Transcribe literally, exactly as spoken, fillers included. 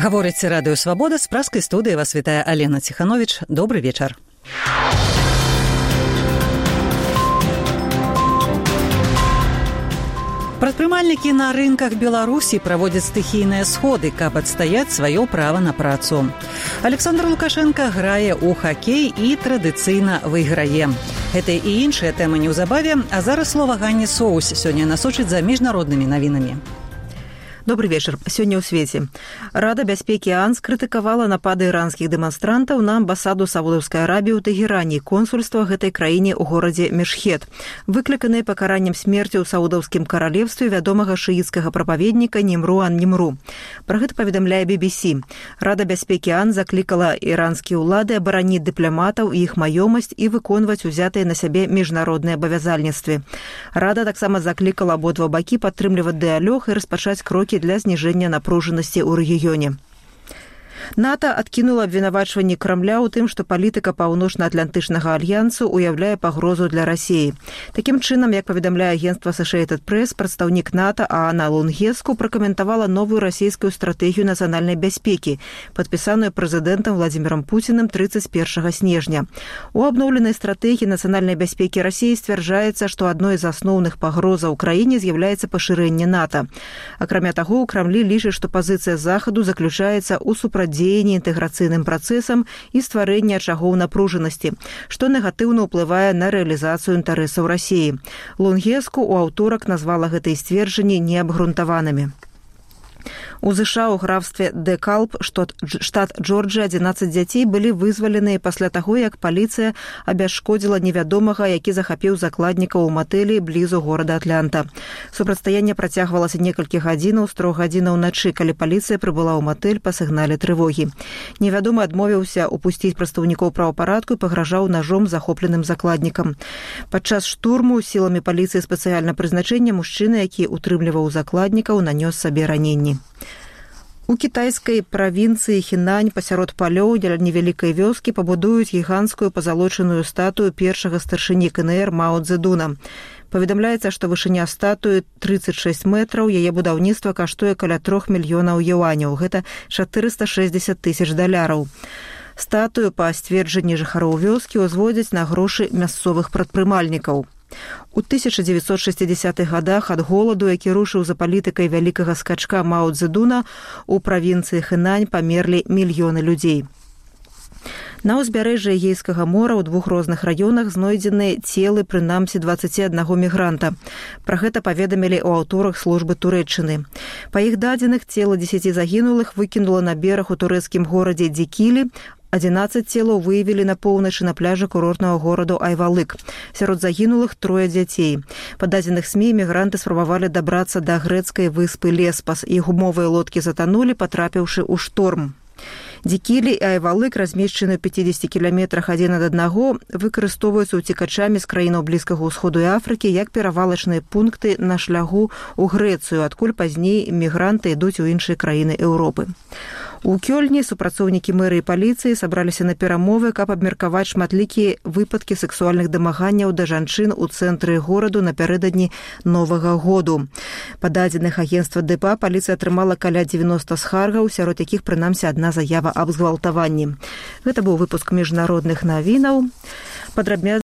Гаворыць радыё «Свабода», з праскай студыі вас вітае Алена Ціханович. Добры вечар. Прадпрымальнікі на рынках Беларусі праводзяць стыхійныя сходы, каб адстаяць сваё права на працу. Александр Лукашенко грае ў хакей і традыцыйна выйграе. Гэта і іншыя тэмы неўзабаве, а зараз слова Ганне Соус сёння насочыць за міжнароднымі навінамі. Добрый вечер. Сегодня у свете. Рада бяспекі ООН скрытыкавала напады іранскіх дэманстрантаў на амбасаду Саудаўскай Арабіі ў Тэгеране, консульства гэтай краіне ў горадзе Мешхед, выкліканыя пакараннем смерці ў Саудаўскім каралевстве вядомага шыіцкага прапаведніка Нимру ан-Нимру. Пра гэта паведамляе би би сі. Рада бяспекі ООН заклікала іранскія ўлады абараніць дыпламатаў і іх маёмасць і выконваць узятыя на сябе міжнародныя абавязальніцтвы. Рада таксама заклікала абодва бакі падтрымліваць дыялог і распачаць крокі для зніжэння напружанасці ў рэгіёне. НАТО адкінула абвінавачванні Крамля ў тым, што палітыка Паўночна-Атлантычнага альянсу ўяўляе пагрозу для Расіі. Такім чынам, як паведамляе агенцтва Associated Press, прадстаўнік НАТО Аана Лунгеску пракаментавала новую расійскую стратэгію нацыянальнай бяспекі, падпісаную прэзідэнтам Владзімірам Пуцінам трыццаць першага снежня. У абноўленай стратэгіі нацыянальнай бяспекі Расіі сцвярджаецца, што адной з асноўных пагрозаў краіне з'яўляецца пашырэнне НАТО. Акрамя таго, у Крамлі лічаць, што пазіцыя Захаду заключаецца ў супрацьдзеянні дзеянні інтэграцыйным працэсам і стварэння ачагоў напружанасці, што негатыўна ўплывае на рэалізацыю інтарэсаў Расіі. Лунгеску ў аўторак назвала гэтыя сцверджанні неабгрунтаванымі. У ЗША ў графстве Декалб, штат Джорджыя, адзінаццаць дзяцей былі вызваленыя пасля таго, як паліцыя абясшкодзіла невядомага, які захапіў закладнікаў у матэлі блізу горада Атланта. Супрацьстаянне працягвалася некалькі гадзінаў з трох гадзінаў начы, калі паліцыя прыбыла ў матэль па сігнале трывогі. Невядомы адмовіўся упусціць прадстаўнікоў правапарадку і пагражаў нажом захопленым закладнікам. Падчас штурму сіламі паліцыі спецыяльна прызначэння мужчына, які утрымліваў закладнікаў, нанёс сабе раненні. У кітайскай правінцыі Хінань пасярод палёў дзеля невялікай вёскі пабудуюць гіганцкую пазалочаную статую першага старшыні ка эн эр Мао Цзэдуна. Паведамляецца, што вышыня статуі трыццаць шэсць метраў, яе будаўніцтва каштуе каля трох мільёнаў юаняў, гэта чатырыста шэсцьдзесят тысяч даляраў. Статую, па сцверджанні жыхароў вёскі, узводзяць на грошы мясцовых прадпрымальнікаў. У тысяча дзевяцьсот шэсцідзесятых гадах ад голаду, які рушыў за палітыкай вялікага скачка Мао Цзэдуна, у правінцыі Хэнань памерлі мільёны людзей. На ўзбярэжжы Эгейскага мора ў двух розных раёнах знойдзены целы прынамсі дваццаці аднаго мігранта. Пра гэта паведамілі ў аўторак службы Турэччыны. Па іх дадзеных, цела дзесяці загінулых выкінула на бераг у турэцкім горадзе Дикили. адзінаццаць целаў выявілі на поўначы на пляжы курортнага гораду Айвалык. Сярод загінулых трое дзяцей. Па дадзеных СМІ мігранты спрабавалі дабрацца да грэцкай выспы Леспас. Іх гумовыя лодкі затанулі, патрапіўшы ў шторм. Дикили і Айвалык, размешчаны ў пяцідзесяці кіламетрах адзін ад аднаго, выкарыстоўваюцца ўцекачамі з краінаў Блізкага ўсходу і Афрыкі як перавалачныя пункты на шляху ў Грэцыю, адкуль пазней мігранты ідуць у іншыя краіны Еўропы. У Кёльні супрацоўнікі мэрыі і паліцыі сабраліся на перамовы, каб абмеркаваць шматлікія выпадкі сексуальных дамаганняў да жанчын у цэнтры гораду напярэдадні Новага году. Па дадзеных агенцтва ДПА паліцыя атрымала каля дзевяноста скаргаў, сярод якіх прынамсі адна заява аб згвалтаванні. Гэта быў выпуск міжнародных навінаў. Падрабязна